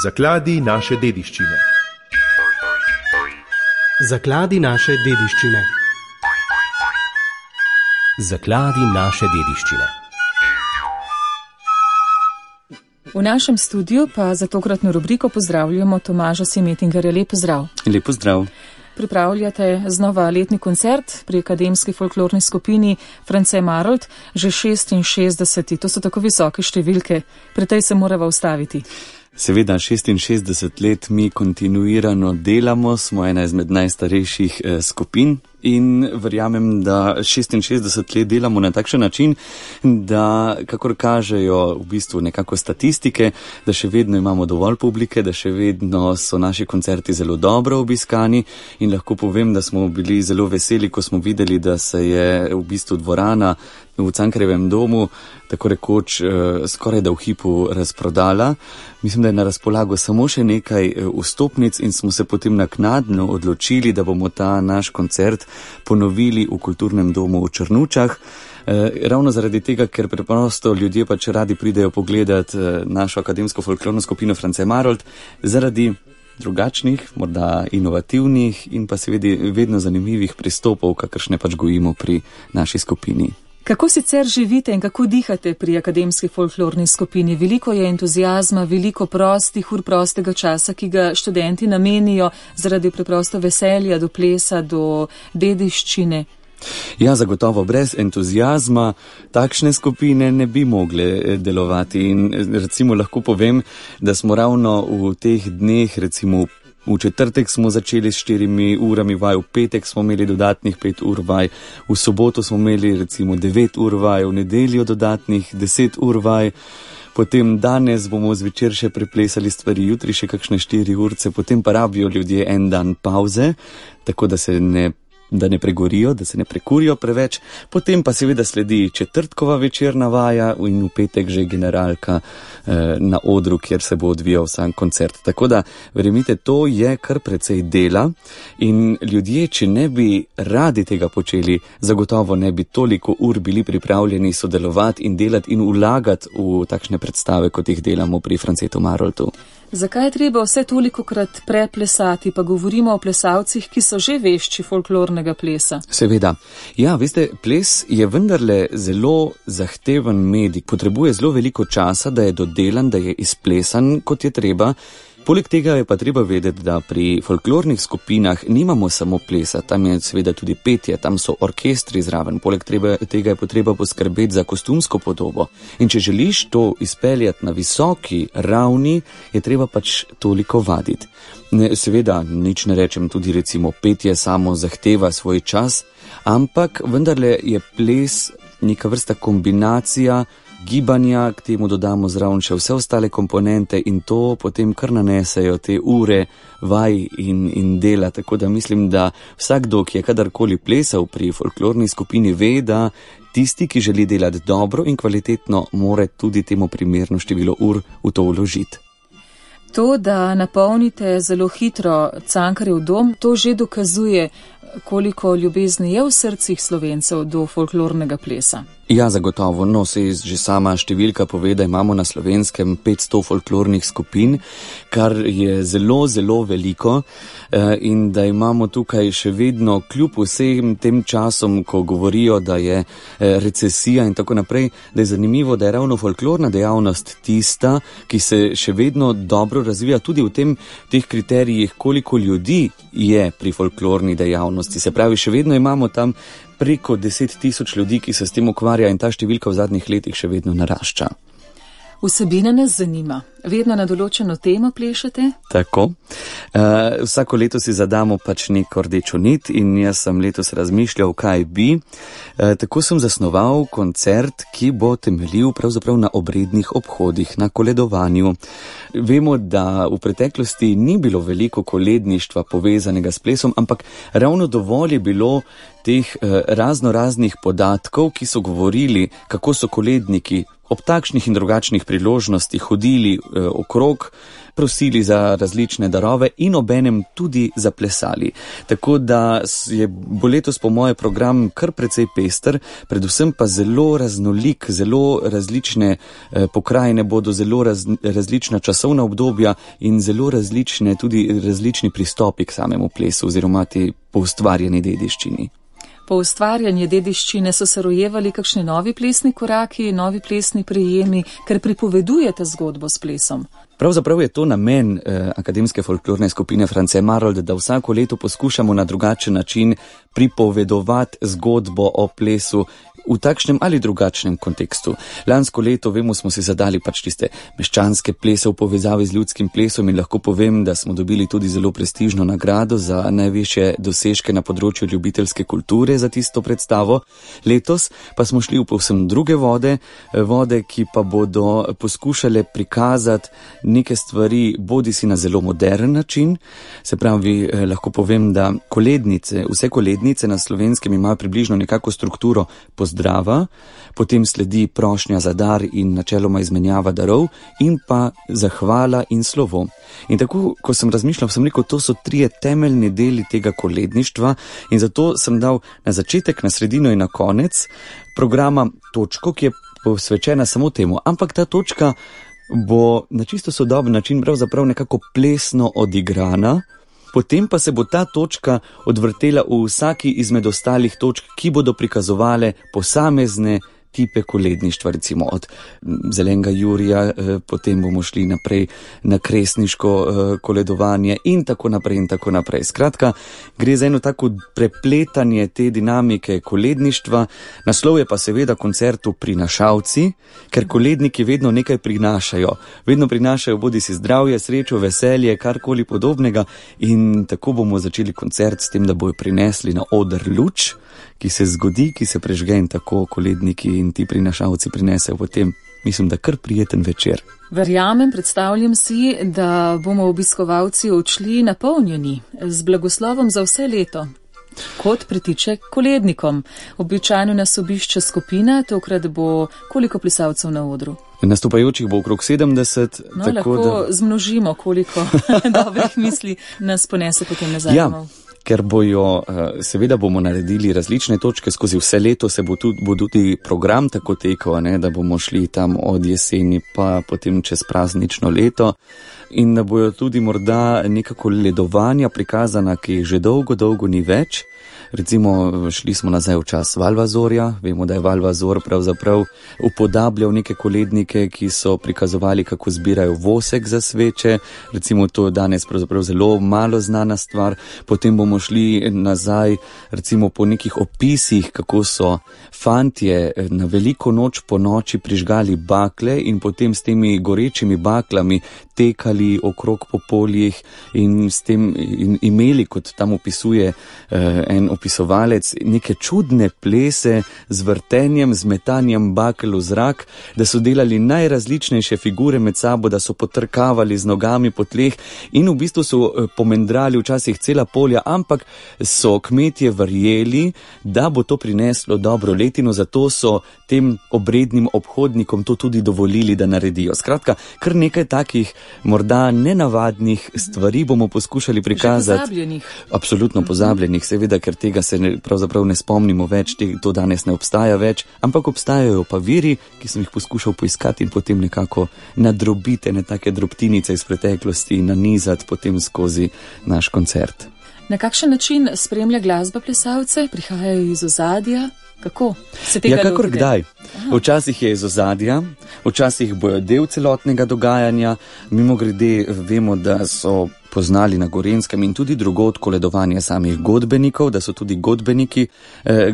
Zakladi naše dediščine. Zakladi naše dediščine. Zakladi naše dediščine. V našem studiu pa za tokratno rubriko pozdravljamo Tomaža Semetingerja. Lep pozdrav. Lep pozdrav. Pripravljate znova letni koncert pri akademski folklorni skupini France Marolt, že 66. To so tako visoke številke, pri tej se morava ustaviti. Seveda, 66 let mi kontinuirano delamo, smo ena izmed najstarejših skupin in verjamem, da 66 let delamo na takšen način, da kakor kažejo v bistvu nekako statistike, da še vedno imamo dovolj publike, da še vedno so naši koncerti zelo dobro obiskani in lahko povem, da smo bili zelo veseli, ko smo videli, da se je v bistvu dvorana v Cankarjevem domu tako rekoč skoraj da v hipu razprodala. Mislim, da je na razpolago samo še nekaj vstopnic in smo se potem naknadno odločili, da bomo ta naš koncert ponovili v kulturnem domu v Črnučah. Ravno zaradi tega, ker preprosto ljudje pač radi pridejo pogledat našo akademsko folklorno skupino France Marolt, zaradi drugačnih, morda inovativnih in pa seveda vedno zanimivih pristopov, kakršne pač gojimo pri naši skupini. Kako sicer živite in kako dihate pri akademski folklorni skupini? Veliko je entuziazma, veliko prostih ur prostega časa, ki ga študenti namenijo zaradi preprosto veselja do plesa, do dediščine. Ja, zagotovo brez entuziazma takšne skupine ne bi mogle delovati in recimo lahko povem, da smo ravno v teh dneh recimo v četrtek smo začeli s 4 urami vaj, v petek smo imeli dodatnih 5 ur vaj, v soboto smo imeli recimo 9 ur vaj, v nedeljo dodatnih 10 ur vaj, potem danes bomo zvečer še preplesali stvari, jutri še kakšne 4 urce, potem pa rabijo ljudje en dan pauze, tako da ne pregorijo, da se ne prekurijo preveč, potem pa seveda sledi četrtkova večerna vaja in v petek že generalka na odru, kjer se bo odvijal sam koncert. Tako da, verjemite, to je kar precej dela in ljudje, če ne bi radi tega počeli, zagotovo ne bi toliko ur bili pripravljeni sodelovati in delati in vlagati v takšne predstave, kot jih delamo pri Francetu Maroltu. Zakaj je treba vse tolikokrat preplesati, pa govorimo o plesalcih, ki so že vešči folklornega plesa? Seveda. Ja, veste, ples je vendarle zelo zahteven medij, potrebuje zelo veliko časa, da je dodelan, da je izplesan, kot je treba. Poleg tega je pa treba vedeti, da pri folklornih skupinah nimamo samo plesa, tam je seveda tudi petje, tam so orkestri zraven, poleg tega je potreba poskrbeti za kostumsko podobo. In če želiš to izpeljati na visoki ravni, je treba pač toliko vaditi. Seveda, nič ne rečem, tudi recimo petje samo zahteva svoj čas, ampak vendarle je ples neka vrsta kombinacija gibanja, k temu dodamo zraven še vse ostale komponente in to potem kar nanesejo te ure vaj in dela, tako da mislim, da vsakdo, ki je kadarkoli plesal pri folklorni skupini, ve, da tisti, ki želi delati dobro in kvalitetno, more tudi temu primerno število ur v to vložiti. To, da napolnite zelo hitro Cankarjev dom, to že dokazuje, koliko ljubezni je v srcih Slovencev do folklornega plesa. Ja, zagotovo. No, se že sama številka pove, da imamo na Slovenskem 500 folklornih skupin, kar je zelo, zelo veliko in da imamo tukaj še vedno kljub vsem tem časom, ko govorijo, da je recesija in tako naprej, da je zanimivo, da je ravno folklorna dejavnost tista, ki se še vedno dobro razvija tudi v teh kriterijih, koliko ljudi je pri folklorni dejavnosti. Se pravi, še vedno imamo tam preko 10 000 ljudi, ki se s tem ukvarja in ta številka v zadnjih letih še vedno narašča. Vsebina nas zanima. Vedno na določeno temo plešete? Tako. Vsako leto si zadamo pač neko rdečo nit in jaz sem letos razmišljal, kaj bi. Tako sem zasnoval koncert, ki bo temeljil pravzaprav na obrednih obhodih, na koledovanju. Vemo, da v preteklosti ni bilo veliko koledništva povezanega s plesom, ampak ravno dovolj je bilo teh raznoraznih podatkov, ki so govorili, kako so koledniki ob takšnih in drugačnih priložnostih hodili okrog prosili za različne darove in obenem tudi zaplesali. Tako da bo letos po moje program kar precej pester, predvsem pa zelo raznolik, zelo različne pokrajine bodo, zelo različna časovna obdobja in zelo različni pristopi k samemu plesu oziroma te poustvarjeni dediščini. Po ustvarjanju dediščine so se rojevali kakšni novi plesni koraki, novi plesni prijemi, ker pripovedujete zgodbo s plesom. Pravzaprav je to namen Akademske folklorne skupine France Marold, da vsako leto poskušamo na drugačen način pripovedovati zgodbo o plesu v takšnem ali drugačnem kontekstu. Lansko leto, vemo, smo si zadali pač tiste meščanske plese v povezavi z ljudskim plesom in lahko povem, da smo dobili tudi zelo prestižno nagrado za najvišje dosežke na področju ljubiteljske kulture za tisto predstavo. Letos pa smo šli v povsem druge vode, ki pa bodo poskušale prikazati neke stvari bodisi na zelo modern način. Se pravi, lahko povem, da vse kolednice na Slovenskem imajo približno nekako strukturo pozdrava, potem sledi prošnja za dar in načeloma izmenjava darov in pa zahvala in slovo. In tako, ko sem razmišljal, sem rekel, to so 3 temeljni deli tega koledništva in zato sem dal na začetek, na sredino in na konec programa točko, ki je posvečena samo temu. Ampak ta točka bo na čisto sodoben način pravzaprav nekako plesno odigrana, potem pa se bo ta točka odvrtela v vsaki izmed ostalih točk, ki bodo prikazovale posamezne tipe koledništva, recimo od Zelenega Jurija, potem bomo šli naprej na kresniško koledovanje in tako naprej in tako naprej. Skratka, gre za eno tako prepletanje te dinamike koledništva. Naslov je pa seveda koncertu Prinašalci, ker koledniki vedno nekaj prinašajo. Vedno prinašajo bodisi zdravje, srečo, veselje, karkoli podobnega in tako bomo začeli koncert s tem, da bojo prinesli na oder luč, ki se zgodi, ki se prežge in tako koledniki in ti prinašalci prinesejo potem, mislim, da kar prijeten večer. Verjamem, predstavljam si, da bomo obiskovalci odšli napolnjeni z blagoslovom za vse leto. Kot pritiče kolednikom. Običajno nas obišče skupina, tokrat bo koliko plesalcev na odru? Nastopajočih bo okrog 70. No, tako lahko zmnožimo, koliko dobrih misli nas ponese potem nazaj. Ja. Ker seveda bomo naredili različne točke, skozi vse leto bo tudi program tako tekel, da bomo šli tam od jeseni pa potem čez praznično leto in da bojo tudi morda nekako ledovanja prikazana, ki jih že dolgo ni več. Recimo, šli smo nazaj v čas Valvazorja, vemo, da je Valvazor pravzaprav upodabljal neke kolednike, ki so prikazovali, kako zbirajo vosek za sveče, recimo to je danes pravzaprav zelo malo znana stvar. Potem bomo šli nazaj, recimo po nekih opisih, kako so fantje na veliko noč po noči prižgali bakle in potem s temi gorečimi baklami tekali okrog po poljih in s tem imeli, kot tam opisuje en opisovalec, neke čudne plese z vrtenjem, z metanjem bakel v zrak, da so delali najrazličnejše figure med sabo, da so potrkavali z nogami po tleh in v bistvu so pomendrali včasih cela polja, ampak so kmetje verjeli, da bo to prineslo dobro letino, zato so tem obrednim obhodnikom to tudi dovolili, da naredijo. Skratka, kar nekaj takih morda nenavadnih stvari bomo poskušali prikazati. Že pozabljenih. Absolutno pozabljenih, seveda, ker tega se pravzaprav ne spomnimo več, to danes ne obstaja več, ampak obstajajo pa viri, ki sem jih poskušal poiskati in potem nekako nadrobiti take drobtinice iz preteklosti in nanizati potem skozi naš koncert. Na kakšen način spremlja glasba plesalce? Prihajajo iz ozadja? Kako se tega lotite? Kakor kdaj. Včasih je iz ozadja, včasih bojo del celotnega dogajanja. Mimogrede vemo, da so poznali na Gorenjskem in tudi drugod koledovanje samih godbenikov, da so tudi godbeniki,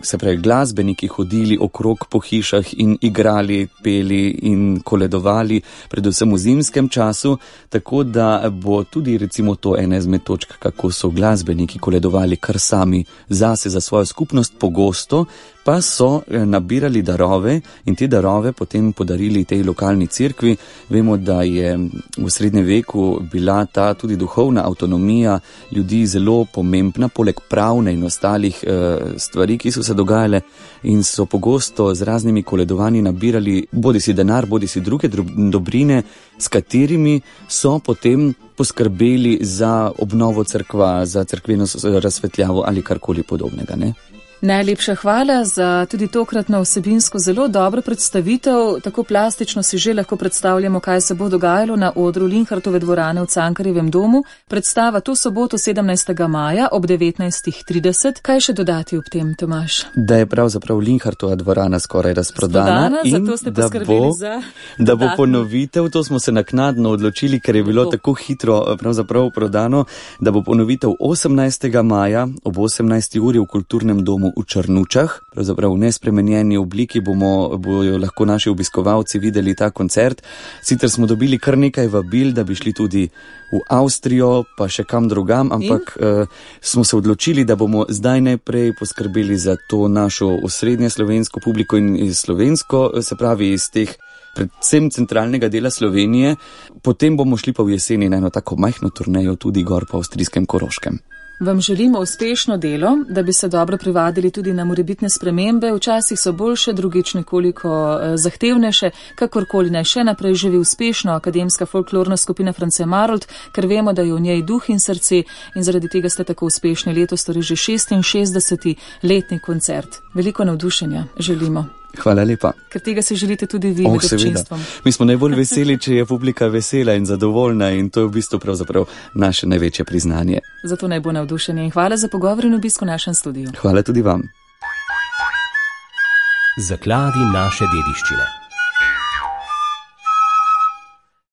se pravi glasbeniki, hodili okrog po hišah in igrali, peli in koledovali, predvsem v zimskem času, tako da bo tudi recimo to ena izmed točk, kako so glasbeniki koledovali kar sami zase, za svojo skupnost, pogosto pa so nabirali darove in te darove potem podarili tej lokalni cerkvi. Vemo, da je v srednjem veku bila ta tudi duhovna jezikovna avtonomija ljudi zelo pomembna, poleg pravne in ostalih stvari, ki so se dogajale in so pogosto z raznimi koledovanji nabirali bodisi denar, bodisi druge dobrine, s katerimi so potem poskrbeli za obnovo cerkva, za cerkveno razsvetljavo ali karkoli podobnega, ne? Najlepša hvala za tudi tokratno vsebinsko zelo dobro predstavitev. Tako plastično si že lahko predstavljamo, kaj se bo dogajalo na odru Linhartove dvorane v Cankarjevem domu. Predstava to soboto 17. maja ob 19.30. Kaj še dodati ob tem, Tomaž? Da je pravzaprav Linhartova dvorana skoraj razprodana in da bo ponovitev, to smo se naknadno odločili, ker je bilo tako hitro pravzaprav prodano, da bo ponovitev 18. maja ob 18. uri v Kulturnem domu v Črnučah, pravzaprav v nespremenjeni obliki bojo lahko naši obiskovalci videli ta koncert. Sicer smo dobili kar nekaj vabil, da bi šli tudi v Avstrijo, pa še kam drugam, ampak smo se odločili, da bomo zdaj najprej poskrbeli za to našo osrednje slovensko publiko in slovensko, se pravi iz teh predvsem centralnega dela Slovenije, potem bomo šli pa v jeseni na eno tako majhno turnejo tudi gor po avstrijskem Koroškem. Vam želimo uspešno delo, da bi se dobro privadili tudi na morebitne spremembe. Včasih so boljše, drugič nekoliko zahtevnejše. Kakorkoli naj še naprej živi uspešno akademska folklorna skupina France Marold, ker vemo, da je v njej duh in srce in zaradi tega ste tako uspešni letos, torej že 66. letni koncert. Veliko navdušenja želimo. Hvala lepa. Ker tega si želite tudi vi med občinstvom. Mi smo najbolj veseli, če je publika vesela in zadovoljna in to je v bistvu pravzaprav naše največje priznanje. Zato naj bo navdušenje in hvala za pogovor in obisk v našem studiu. Hvala tudi vam. Zakladi naše dediščine.